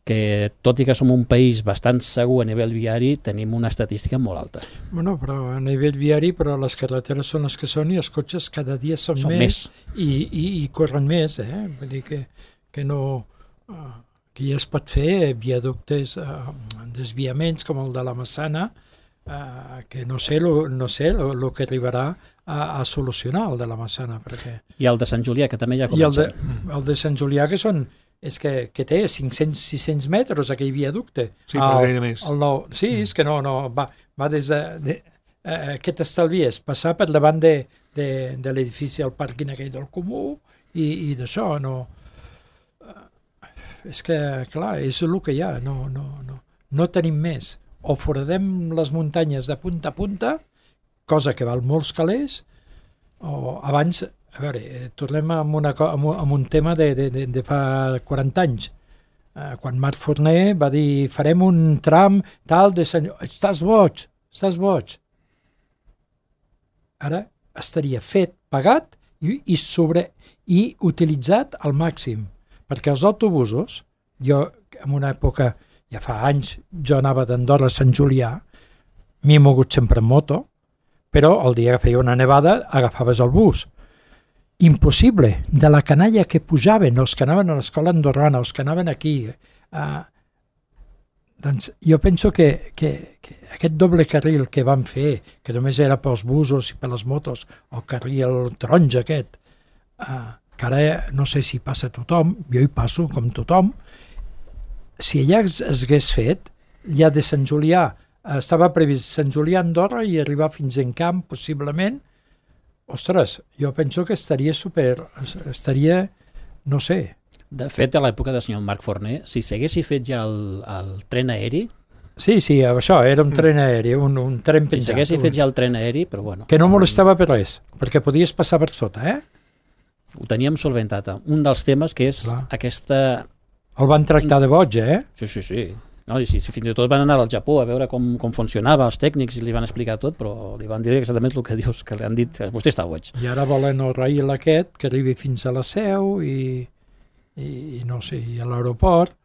Que tot i que som un país bastant segur a nivell viari, tenim una estadística molt alta. Bueno, però a nivell viari, però les carreteres són les que són i els cotxes cada dia són, són més, més. I, i, i corren més, eh? Vull dir que, que no... Uh, Aquí es pot fer viaductes, eh, desviaments com el de la Massana, eh, que no sé el no sé lo, lo que arribarà a, a solucionar el de la Massana. Perquè... I el de Sant Julià, que també ja I el comença. de, el de Sant Julià, que són és que, que té cinc-cents sis-cents metres aquell viaducte. Sí, però gaire més. El nou, sí, és que no, no va, va des de... de eh, què t'estalvies? Passar per davant de, de, de l'edifici, el pàrquing aquell del Comú i, i d'això, no... És que, clar, és el que hi ha, no, no, no, no tenim més. O foradem les muntanyes de punta a punta, cosa que val molts calés, o abans, a veure, tornem amb, una, amb, un, amb un tema de, de, de, de fa quaranta anys, eh, quan Marc Forner va dir farem un tram tal de senyor, estàs boig, estàs boig. Ara estaria fet, pagat i, i, sobre, i utilitzat al màxim. Perquè els autobusos, jo en una època, ja fa anys, jo anava d'Andorra a Sant Julià, m'he mogut sempre en moto, però el dia que feia una nevada agafaves el bus. Impossible, de la canalla que pujaven, els que anaven a l'escola andorrana, els que anaven aquí. Eh, doncs jo penso que, que, que aquest doble carril que van fer, que només era pels busos i per les motos, el carril taronja aquest, eh, que ara no sé si passa tothom, jo hi passo com tothom, si allà es, es hagués fet, ja de Sant Julià, estava previst Sant Julià a Andorra i arribar fins en Camp, possiblement, ostres, jo penso que estaria super, estaria, no sé. De fet, a l'època del senyor Marc Forner, si s'haguessi fet ja el, el tren aeri... Sí, sí, això, era un tren aeri, un, un tren penjat. Si s'haguessi fet ja el tren aeri, però bueno... Que no molestava per res, perquè podies passar per sota, eh? Ho teníem solventat. Un dels temes que és Clar. aquesta... El van tractar de boig, eh? Sí, sí, sí. No, i sí, sí, fins i tot van anar al Japó a veure com, com funcionava, els tècnics, i li van explicar tot, però li van dir exactament el que dius, que li han dit, vostè està boig. I ara volen el rail aquest, que arribi fins a la Seu i, i, i no sé, i a l'aeroport.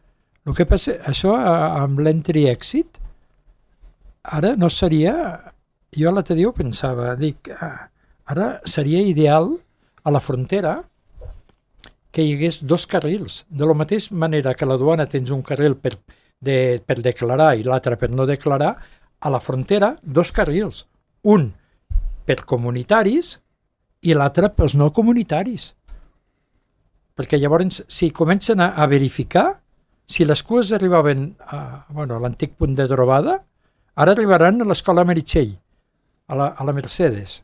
El que passa, això amb l'entry exit, ara no seria... Jo l'altre dia ho pensava, dic, ara seria ideal a la frontera que hi hagués dos carrils. De la mateixa manera que a la duana tens un carril per, de, per declarar i l'altre per no declarar, a la frontera dos carrils. Un per comunitaris i l'altre pels no comunitaris. Perquè llavors, si comencen a, a verificar, si les cues arribaven a, bueno, a l'antic punt de trobada, ara arribaran a l'escola Meritxell, a la, a la Mercedes.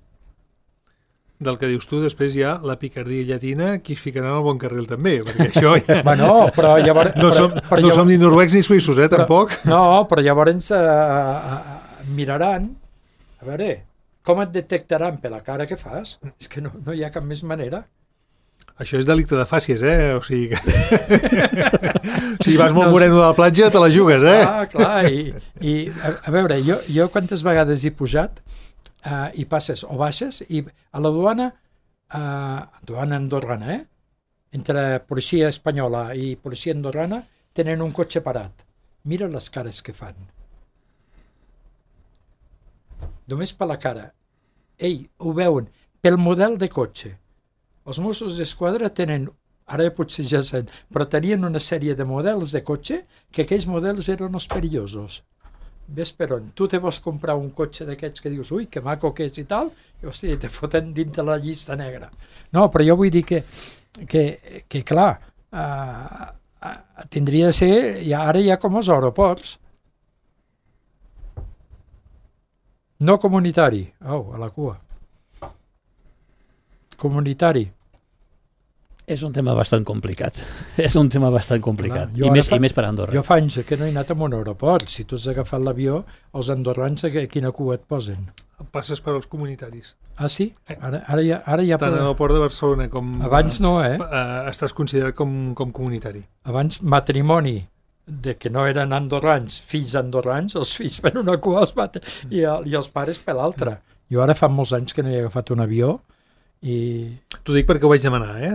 Del que dius tu, després hi ha la picardia llatina que es ficarà en el bon carril també, perquè això ja... Bueno, però llavors... No som, però, però no llavors, som ni noruecs ni suïssos, eh, però, tampoc. No, però llavors eh, eh, miraran, a veure, com et detectaran per la cara que fas? És que no, no hi ha cap més manera. Això és delicte de fàcies, eh? O sigui que... si vas molt moreno de la platja, te la jugues, eh? Ah, clar, i, i a, a veure, jo, jo quantes vegades he pujat Uh, i passes o baixes i a la duana uh, duana andorrana, eh? Entre policia espanyola i policia andorrana tenen un cotxe parat. Mira les cares que fan. Només per la cara. Ei, ho veuen. Pel model de cotxe. Els Mossos d'Esquadra tenen, ara potser ja sent, però tenien una sèrie de models de cotxe que aquells models eren els perillosos. Ves per on? Tu te vols comprar un cotxe d'aquests que dius, ui, que maco que és i tal, i hòstia, te foten dintre la llista negra. No, però jo vull dir que, que, que clar, uh, uh, tindria de ser, ja, ara hi ha com els aeroports. No comunitari, oh, a la cua. Comunitari. És un tema bastant complicat. És un tema bastant complicat. Clar, I, més, fa, I més per Andorra. Jo fa anys que no he anat a un aeroport. Si tu has agafat l'avió, els andorrans a quina cua et posen? Passes per als comunitaris. Ah, sí? Ara, ara ja, ara ja tant en el port de Barcelona com... Abans no, eh? eh estàs considerat com, com comunitari. Abans matrimoni de que no eren andorrans, fills andorrans, els fills per una cua els maten, i, i els pares per l'altra. Jo ara fa molts anys que no he agafat un avió i... T'ho dic perquè ho vaig demanar, eh?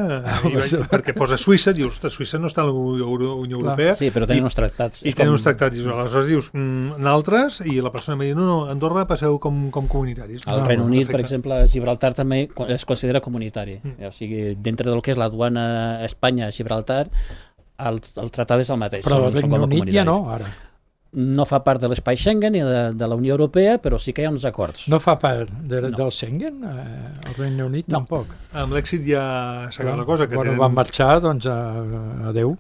I vaig, perquè posa Suïssa, dius, ostres, Suïssa no està a la Unió Europea. Sí, però tenen uns tractats. I tenen uns tractats, i aleshores dius, mm, altres, i la persona em diu, no, no, Andorra passeu com, com comunitaris. El no, Regne Unit, perfecte. per exemple, Gibraltar també es considera comunitari. Mm. O sigui, dintre del que és la duana Espanya-Gibraltar, el, el tractat és el mateix. Però el són, són Regne com a Unit ja comunitaris. no, ara. No fa part de l'espai Schengen ni de, de la Unió Europea, però sí que hi ha uns acords. No fa part de, No. del Schengen, eh, el Regne Unit No. tampoc. Amb l'èxit ja s'ha acabat la cosa. Que Quan tenen... van marxar, doncs, a, adeu.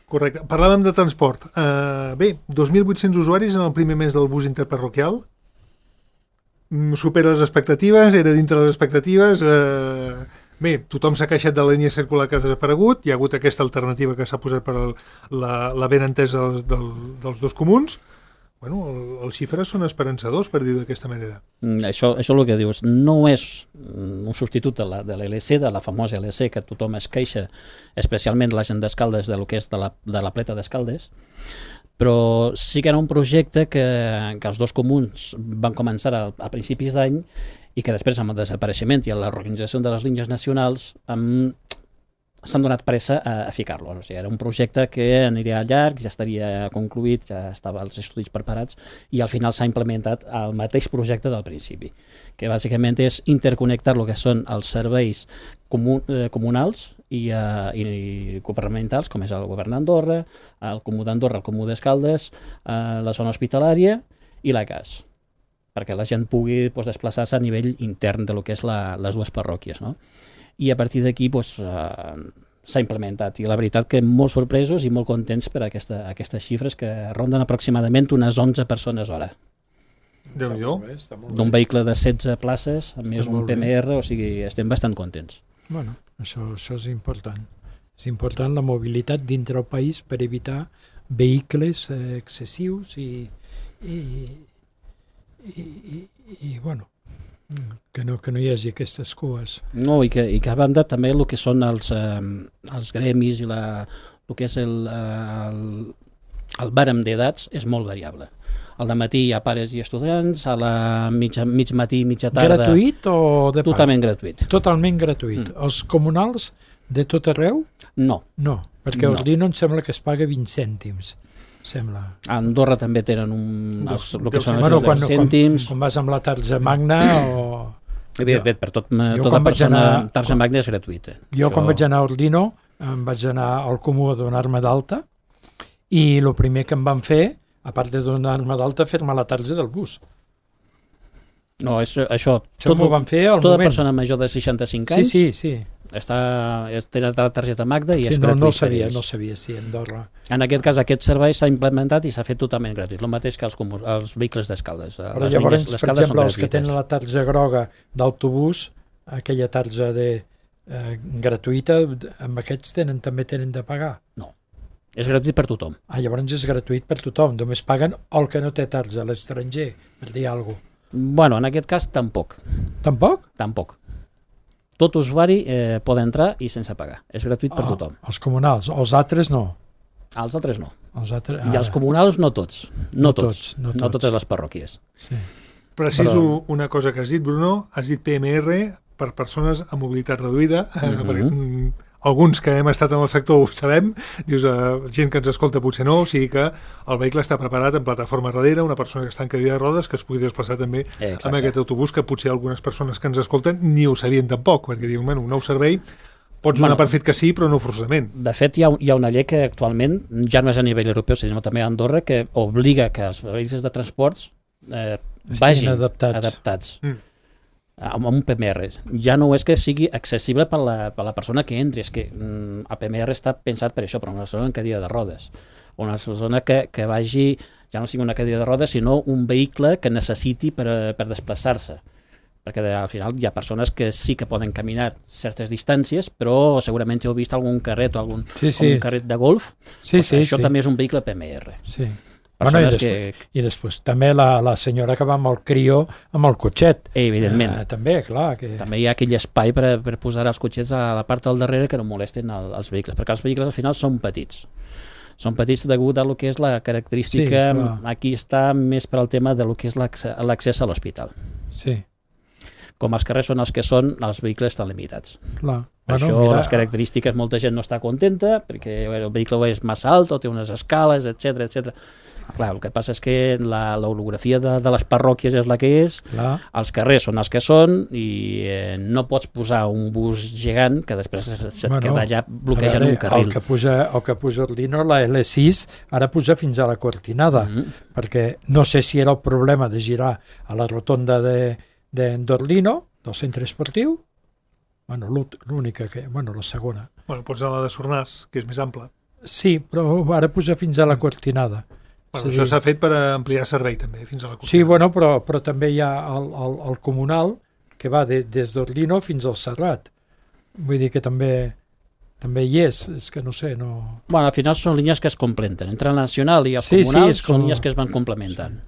Correcte. Parlàvem de transport. Uh, bé, dos mil vuit-cents usuaris en el primer mes del bus interparroquial. Mm, supera les expectatives, era dintre les expectatives. Uh, bé, tothom s'ha queixat de la línia circular que ha desaparegut. Hi ha hagut aquesta alternativa que s'ha posat per el, la, la ben entesa dels, del, dels dos comuns. Bueno, el, els xifres són esperançadors, per dir-ho d'aquesta manera. Mm, Això, això és el que dius. No és mm, un substitut de la, de la L C, de la famosa L C, que tothom es queixa, especialment la gent d'Escaldes, de lo que és de la, de la pleta d'Escaldes, però sí que era un projecte que, que els dos comuns van començar a, a principis d'any i que després, amb el desapareixement i la reorganització de les línies nacionals, amb, s'han donat pressa a, a ficar-lo. O sigui, era un projecte que aniria llarg, ja estaria concluït, ja estava els estudis preparats i al final s'ha implementat el mateix projecte del principi, que bàsicament és interconnectar el que són els serveis comun, eh, comunals i, uh, i governamentals, com és el govern d'Andorra, el Comú d'Andorra, el Comú d'Escaldes, uh, la zona hospitalària i la C A S, perquè la gent pugui pues, desplaçar-se a nivell intern de lo que és la, les dues parròquies, no? I a partir d'aquí pues, uh, s'ha implementat. I la veritat que molt sorpresos i molt contents per aquesta, aquestes xifres que ronden aproximadament unes onze persones hora. Déu-n'hi-do. D'un vehicle de setze places, amb més Està un molt bé. P M R, o sigui, estem bastant contents. Bueno, això, això és important. És important la mobilitat dintre el país per evitar vehicles eh, excessius i, i, i, i, i bueno, que no, que no hi hagi aquestes cues. No, i que, i que a banda també el que són els, eh, els gremis i la, el que és el, eh, el, el bàrem d'edats és molt variable. Al dematí hi ha pares i estudiants, a la mitja, mig matí, mitja tarda... Gratuït o de paga? Totalment gratuït. Totalment gratuït. Mm. Els comunals de tot arreu? No. No, perquè No. a Ordino em sembla que es paga vint cèntims. Sembla. A Andorra també tenen un, els, el que són els Bueno, quan, bueno, quan, cèntims. quan vas amb la tarja magna o... Evidentment, per tot, Jo tota quan vaig persona, anar- tarja magna és gratuïta. Jo quan vaig anar a Ordino em vaig anar al Comú a donar-me d'alta i el primer que em van fer, a part de donar-me d'alta, fer-me la tarja del bus. No, és, això, Això m'ho van fer al tota moment. persona major de seixanta-cinc Sí, anys sí, sí. està, és, tenen la targeta Magda i sí és no, gratuït no per sabia, ells. no sabia si a Andorra... En aquest cas, aquest servei s'ha implementat i s'ha fet totalment gratuït, el mateix que els, comu- els vehicles d'Escaldes. Però Les llavors, línies- les per Escaldes exemple, són els que gratuïtes. tenen la tarja groga d'autobús, aquella tarja de, eh, gratuïta, amb aquests tenen, també tenen de pagar. No, és gratuït per tothom. Ah, llavors és gratuït per tothom, només paguen el que no té tarja, l'estranger, per dir alguna cosa. Bueno, en aquest cas, tampoc. Tampoc? Tampoc. Tot usuari eh, pot entrar i sense pagar. És gratuït per Ah, tothom. els comunals, els altres no. Els altres no. Els altres, I els comunals no tots. No, No tots. tots, no No tots. totes les parròquies. Sí. Preciso Però- una cosa que has dit, Bruno. Has dit P M R per persones amb mobilitat reduïda. Mm Mhm. perquè, mm, alguns que hem estat en el sector ho sabem. Dius, eh, gent que ens escolta potser no. O sigui que el vehicle està preparat en plataforma darrere, una persona que està en cadira de rodes que es pugui desplaçar també Eh, exacte. amb aquest autobús, que potser algunes persones que ens escolten ni ho sabien tampoc, perquè diuen, bueno, un nou servei pots donar Bueno. per fet que sí, però no forçosament. De fet, hi ha, hi ha una llei que actualment, ja no és a nivell europeu, sinó també a Andorra, que obliga que els vehicles de transports eh, Estiguin vagin adaptats. adaptats Mm. amb un P M R. Ja no és que sigui accessible per la, per la persona que entri, és que mm, el P M R està pensat per això, per una persona en cadira de rodes. Una persona que, que vagi, ja no sigui una cadira de rodes, sinó un vehicle que necessiti per, per desplaçar-se. Perquè de, al final hi ha persones que sí que poden caminar certes distàncies, però segurament ja heu vist algun carret o algun Sí, com sí. un carret de golf. Sí, Pues sí, això sí. també és un vehicle P M R. Sí. Persones Bueno, i, que, després, I després també la, la senyora que va amb el crió, amb el cotxet. evidentment, Eh, també, clar. Que... també hi ha aquell espai per, per posar els cotxets a la part del darrere que no molesten el, els vehicles, perquè els vehicles al final són petits. Són petits degut a lo que és la característica, Sí, clar. aquí està més per al tema de lo que és l'accés l'accés a l'hospital. Sí, Com els carrers són els que són, els vehicles estan limitats. clar. Per Bueno, això mira, les característiques molta gent no està contenta, perquè el vehicle és massa alt o té unes escales, etcètera etcètera. Clar, el que passa és que la, l'orografia de, de les parròquies és la que és, Clar. els carrers són els que són i eh, no pots posar un bus gegant que després se't Bueno, queda allà bloquejant veure, un carril. El que puja, el que puja Orlino, la L sis, ara puja fins a la Cortinada, Mm -hmm. perquè no sé si era el problema de girar a la rotonda de, de d'Orlino, del centre esportiu, bueno, l'única que... Bueno, la segona. Bueno, pots anar a la de Sornars, que és més ampla. Sí, però ara puja fins a la Cortinada. Bueno, És això dir, s'ha fet per ampliar servei també, fins a la Cortinada. Sí, bueno, però, però també hi ha el, el, el comunal que va de, des d'Orlino fins al Serrat. Vull dir que també també hi és, és que no sé, no... Bueno, al final són línies que es complementen. Entre el nacional i el Sí, comunal sí, és són com- línies que es van complementant. Sí.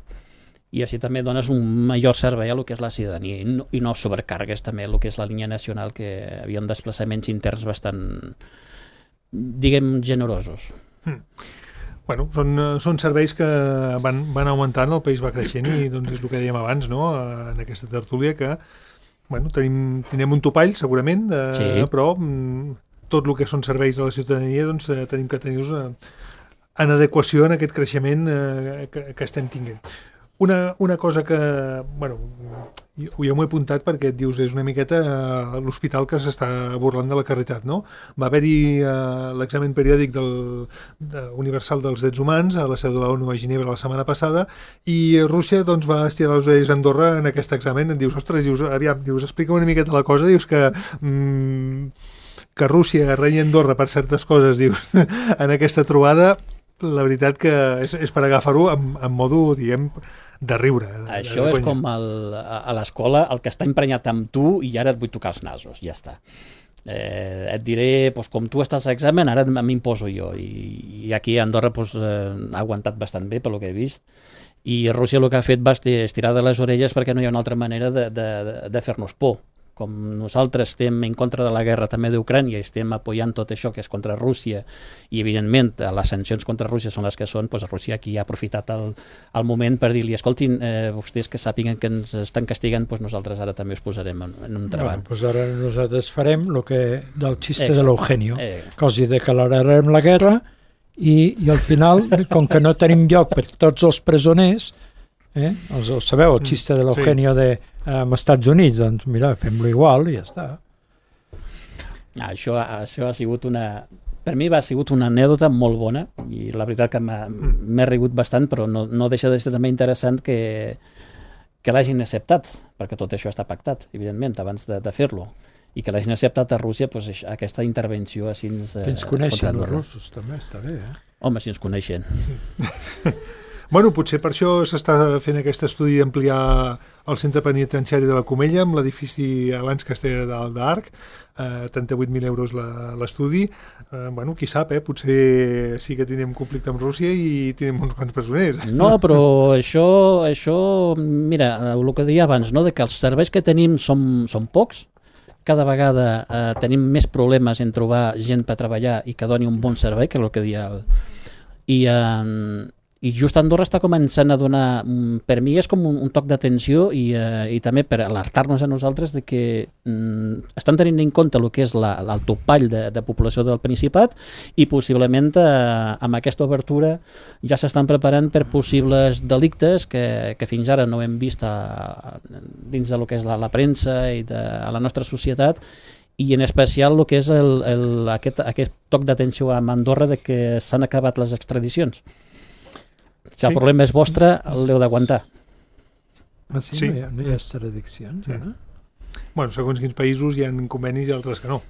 I així també dones un major servei a lo que és la ciutadania i no, i no sobrecargues també el que és la línia nacional, que havia desplaçaments interns bastant, diguem, generosos. Mm. Bueno, són, eh, són serveis que van, van augmentant, el país va creixent i doncs és el que dèiem abans, no?, en aquesta tertúlia, que bueno, tenim, tenim un topall segurament, de, Sí. però mm, tot el que són serveis a la ciutadania doncs, eh, tenim que tenir-los eh, en adequació en aquest creixement eh, que, que estem tinguent. Una, una cosa que, bueno, jo, jo m'ho he apuntat perquè et dius, és una miqueta eh, l'hospital que s'està burlant de la caritat, no? Va haver-hi eh, l'examen periòdic del, de, universal dels drets humans a la seu de la ONU a Ginebra la setmana passada i Rússia doncs, va estirar les orelles a Andorra en aquest examen. Et dius, ostres, dius, aviam, dius, explica una miqueta la cosa, dius que... Mm, que Rússia renyi Andorra per certes coses, dius, en aquesta trobada, la veritat que és, és per agafar-ho amb, amb modo, diguem, de riure. De, Això de és conya. com el, a a l'escola el que està emprenyat amb tu i ara et vull tocar els nasos, ja està. Eh, et diré, doncs, com tu estàs a examen, ara m'imposo jo. I, i aquí a Andorra doncs, eh, ha aguantat bastant bé, pel que he vist. I Rússia el que ha fet va estirar de les orelles perquè no hi ha una altra manera de, de, de fer-nos por. Com nosaltres estem en contra de la guerra també d'Ucrània i estem apoyant tot això que és contra Rússia i evidentment les sancions contra Rússia són les que són, doncs Rússia aquí ha aprofitat el, el moment per dir-li, escoltin, eh, vostès que sàpiguen que ens estan castigant, doncs nosaltres ara també us posarem en, en un treball. Bueno, doncs ara nosaltres farem el que del xiste Exacte. de l'Eugenio, Eh. que els hi declararem la guerra i, i al final, com que no tenim lloc per tots els presoners, eh, els, els sabeu, el xiste de l'Eugenio de als Estats Units, doncs mira, fem-lo igual i ja està. Ah, això, això ha sigut una... Per mi va sigut una anècdota molt bona i la veritat que m'he rigut bastant, però no, no deixa de ser també interessant que, que l'hagin acceptat, perquè tot això està pactat, evidentment, abans de, de fer-lo, i que l'hagin acceptat a Rússia doncs, aquesta intervenció així... Eh, Que ens coneixen els russos, també està bé, eh? Home, si ens coneixen. Bueno, potser per això s'està fent aquest estudi d'ampliar el centre penitenciari de la Comella amb l'edifici abans que estigués dalt d'Arc, eh, trenta-vuit mil euros la, l'estudi. Eh, bueno, qui sap, eh? Potser sí que tenim conflicte amb Rússia i tenim uns quants presoners. No, però això, això mira, el que deia abans, no? De que els serveis que tenim són, són pocs, cada vegada eh, tenim més problemes en trobar gent per treballar i que doni un bon servei, que és el que deia el... I, eh, i just Andorra està començant a donar, per mi és com un, un toc d'atenció i, eh, i també per alertar-nos a nosaltres de que mm, estan tenint en compte el que és la, el topall de, de població del Principat i possiblement eh, amb aquesta obertura ja s'estan preparant per possibles delictes que, que fins ara no hem vist a, dins de lo que és la, la premsa i de a la nostra societat i en especial el que és el, el, aquest, aquest toc d'atenció a Andorra de que s'han acabat les extradicions. Si el Sí. problema és vostre, l'heu d'aguantar. Ah, sí? Sí. No hi ha, no hi ha extradiccions, ja, no? Bueno, segons quins països hi ha convenis i altres que no.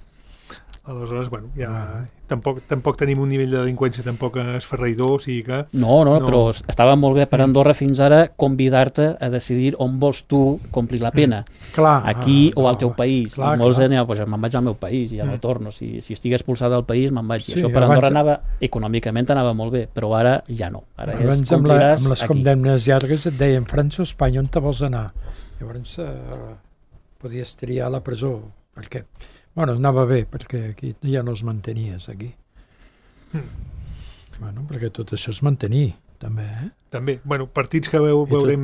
Aleshores, bueno, ja tampoc, tampoc tenim un nivell de delinqüència tampoc esferraïdor, o sigui que... No, no, No. però estava molt bé per Andorra fins ara convidar-te a decidir on vols tu complir la pena. Clar, Aquí ah, o al clar, teu país. clar, I molts clar. deien, pues, me'n vaig al meu país i ja no torno. Si, si estic expulsat del país, me'n vaig. I Sí, això per Andorra abans- anava, econòmicament anava molt bé, però ara ja no. Ara és, Abans amb, la, compliràs amb les aquí. condemnes llargues et deien França o Espanya, on te vols anar? Llavors eh, podies triar la presó, perquè bueno, anava bé, perquè aquí ja no els mantenies, aquí. Mm. Bueno, perquè tot això es mantenir, també, eh? També, bueno, partits que veu, veurem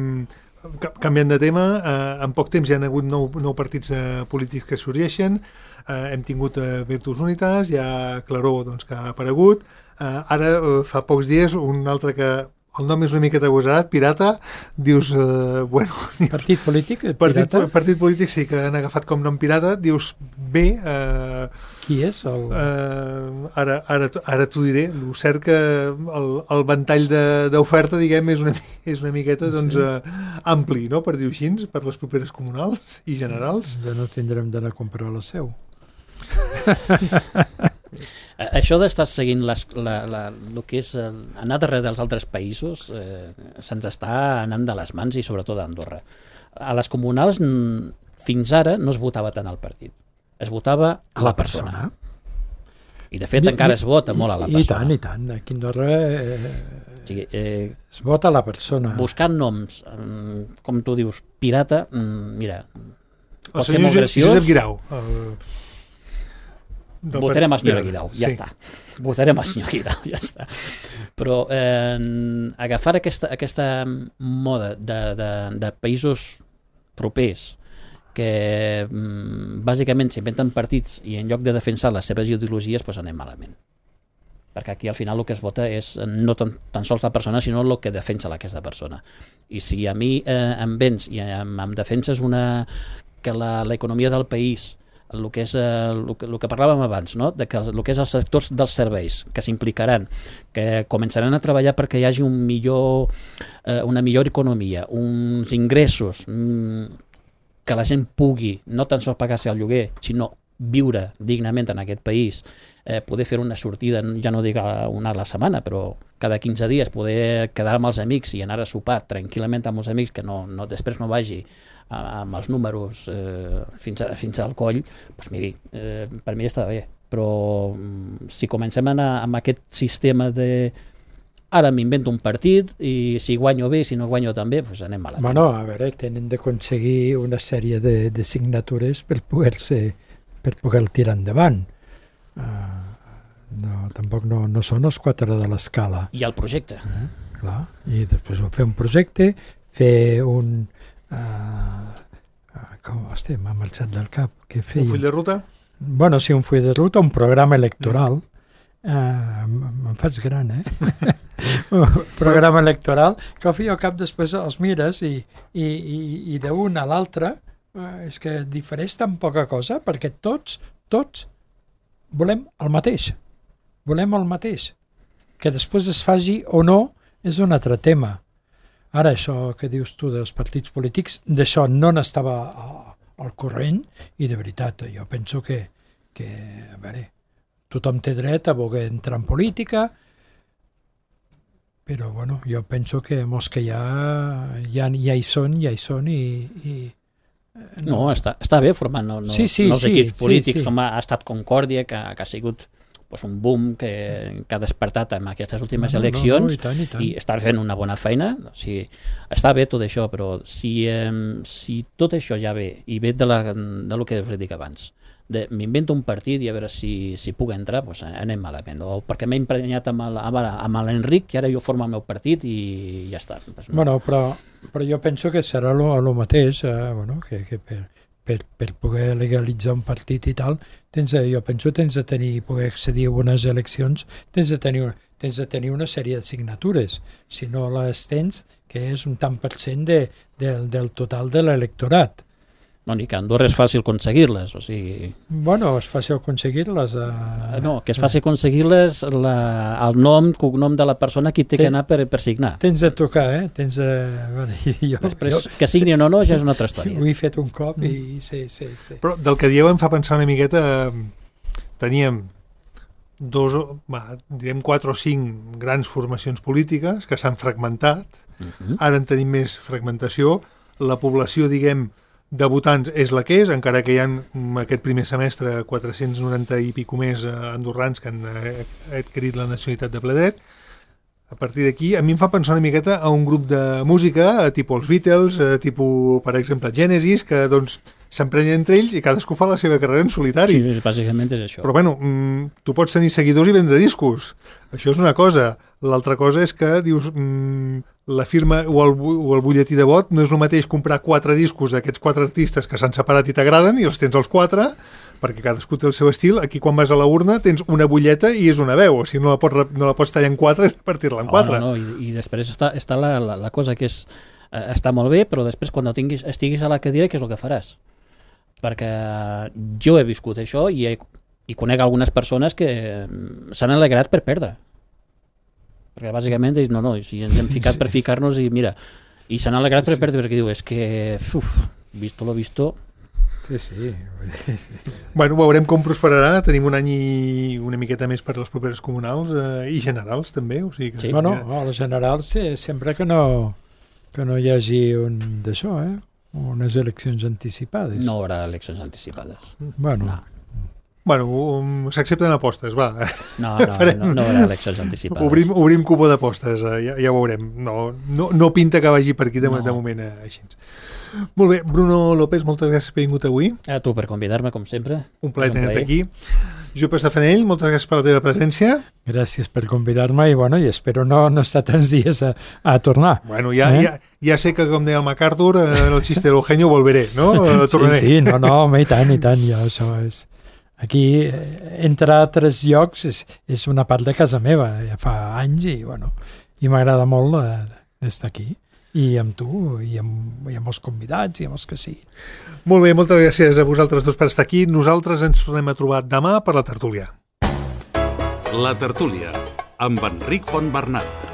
ca- canviant de tema, eh, en poc temps hi ha hagut nou, nou partits eh, polítics que sorgeixen, eh, hem tingut eh, Virtus Unitas, hi ha Claró doncs, que ha aparegut, eh, ara eh, fa pocs dies un altre que el nom és una miqueta agosarat, pirata, dius, eh, bueno... Partit polític, partit, pirata? Partit polític sí que han agafat com nom pirata, dius, bé... Eh, Qui és? El... Eh, ara ara, ara t'ho diré, el cert que el, el ventall d'oferta, diguem, és una, és una miqueta doncs, eh, ampli, no?, per dir-ho així, per les properes comunals i generals. Ja no tindrem d'anar a comprar la seu. Això d'estar seguint les, la, la, el que és el, anar darrere dels altres països eh, se'ns està anant de les mans i sobretot a Andorra. A les comunals fins ara no es votava tant al partit, es votava a la, la persona. persona. I de fet I, encara es vota molt a la persona. I tant, i tant. Aquí a Andorra eh, o sigui, eh, es vota a la persona. Buscant noms, eh, com tu dius, pirata, mira, pot el ser molt graciós. Josep Guirau. El... Votarem el senyor Guirau, ja sí. està. Votarem el senyor Guirau, ja està. Però eh, agafar aquesta, aquesta moda de, de, de països propers que mm, bàsicament s'inventen partits i en lloc de defensar les seves ideologies pues anem malament. Perquè aquí al final el que es vota és no tan, tan sols la persona sinó el que defensa aquesta persona. I si a mi eh, em vens i em, em defenses una, que l'economia del país, el que, és, el, el que parlàvem abans, no? De que el, el que és els sectors dels serveis que s'implicaran, que començaran a treballar perquè hi hagi un millor, eh, una millor economia, uns ingressos, mm, que la gent pugui no tan sols pagar-se el lloguer, sinó viure dignament en aquest país, eh, poder fer una sortida, ja no dic una a la setmana, però cada quinze dies poder quedar amb els amics i anar a sopar tranquil·lament amb els amics, que no, no, després no vagi amb els números eh, fins, a, fins al coll, doncs miri, eh, per mi està bé, però si comencem a anar amb aquest sistema de ara m'invento un partit i si guanyo bé, si no guanyo també, doncs anem malament. Bueno, a veure, tenen d'aconseguir una sèrie de, de signatures per poder-se per poder tirar endavant. Uh, no, tampoc no, no són els quatre de l'escala. I el projecte. Uh, clar, i després fer un projecte, fer un... Uh, uh, com, hosti, m'ha marxat del cap. Què feia? Un full de ruta? Bueno, sí, un full de ruta, un programa electoral. Uh, me'n faig gran, eh? Un programa electoral que al fi i al cap després els mires i, i, i, i d'un a l'altre uh, és que difereix tan poca cosa perquè tots, tots volem el mateix. Volem el mateix. Que després es faci o no és un altre tema. Ara, això que dius tu dels partits polítics, d'això no n'estava al corrent i de veritat, jo penso que, que a veure, tothom té dret a voler entrar en política, però bueno, jo penso que molts que ja, ja, ja hi són, ja hi són i... i no, no està, està bé formant no, no, sí, sí, no els sí, equips polítics, sí, sí. Com ha, ha estat Concòrdia, que, que ha sigut pues, un boom que, que ha despertat en aquestes últimes no, eleccions no, no, i, tant, i, tant. i està fent una bona feina. O sigui, està bé tot això, però si, eh, si tot això ja ve i ve de, la, de lo que us he dit abans, m'invento un partit i a veure si, si puc entrar, doncs anem malament. O perquè m'he emprenyat amb l'Enric i ara jo formo el meu partit i ja està. Pues no. Bueno, però, però jo penso que serà el mateix, eh, bueno, que, que per, per, per poder legalitzar un partit i tal, tens, jo penso que tens de tenir, poder accedir a unes eleccions, tens de tenir, tens de tenir una sèrie de signatures. Si no les tens, que és un tant per cent de, de, del total de l'electorat. No, ni que a Andorra és fàcil aconseguir-les, o sigui... Bueno, és fàcil aconseguir-les. Eh... No, que és fàcil aconseguir-les la, el nom, cognom de la persona que té Ten, que anar per, per signar. Tens de tocar, eh? Tens de... Bueno, jo, Després, jo, que signin o no, ja és una altra història. Ho he fet un cop i sí, sí, sí. Però del que dieu em fa pensar una miqueta... Teníem dos, va, direm quatre o cinc grans formacions polítiques que s'han fragmentat. Uh-huh. Ara en tenim més fragmentació. La població, diguem, de votants és la que és, encara que hi ha aquest primer semestre quatre-cents noranta i pico més andorrans que han adquirit la nacionalitat de ple dret. A partir d'aquí, a mi em fa pensar una miqueta a un grup de música, tipus els Beatles, tipus, per exemple, Genesis, que doncs s'emprenyen entre ells i cadascú fa la seva carrera en solitari. Sí, bàsicament és això. Però bueno, tu pots tenir seguidors i vendre discos. Això és una cosa. L'altra cosa és que dius... la firma o el, o el butlletí de vot no és el mateix comprar quatre discos d'aquests quatre artistes que s'han separat i t'agraden i els tens els quatre, perquè cadascú té el seu estil. Aquí quan vas a la urna tens una butlleta i és una veu, o sigui, no la pots, no la pots tallar en quatre i repartir-la en quatre. Oh, no, no. I, i després està, està la, la, la cosa que és, eh, està molt bé, però després quan tinguis, estiguis a la cadira, què és el que faràs? Perquè jo he viscut això i, he, i conec algunes persones que s'han alegrat per perdre. Perquè bàsicament dius, no, no, si ens hem ficat per ficar-nos i mira, i s'han alegrat per perdre perquè diu, és que, uf, visto lo visto... Sí, sí. Bueno, veurem com prosperarà, tenim un any i una miqueta més per les properes comunals eh, i generals també, o sigui que... Sí. Bueno, a les generals sí, sempre que no, que no hi hagi un d'això, eh? Unes eleccions anticipades. No hi haurà eleccions anticipades. Bueno... No. Bueno, um, s'accepten apostes, va. No, no, no, no hi haurà eleccions anticipades. Obrim, obrim cupó d'apostes, eh, ja, ja ho veurem. No, no, no pinta que vagi per aquí de, No. de moment eh, així. Molt bé, Bruno López, moltes gràcies per haver vingut avui. A tu per convidar-me, com sempre. Un plaer És un tenir-te plaer. aquí. Jope Estafanell, moltes gràcies per la teva presència. Gràcies per convidar-me i, bueno, i espero no, no estar tants dies a, a tornar. Bueno, ja, Eh? ja, ja sé que, com deia el MacArthur, eh, el xiste del genio volveré, no? Eh, Tornaré. Sí, sí, no, no, home, i tant, i tant, jo, això és... Aquí, eh, entre altres llocs, és, és una part de casa meva, ja fa anys, i, bueno, i m'agrada molt eh, estar aquí. I amb tu, i amb, i amb els convidats, i amb els que sí. Molt bé, moltes gràcies a vosaltres dos per estar aquí. Nosaltres ens tornem a trobar demà per la tertúlia. La tertúlia, amb Enric Fontbernat.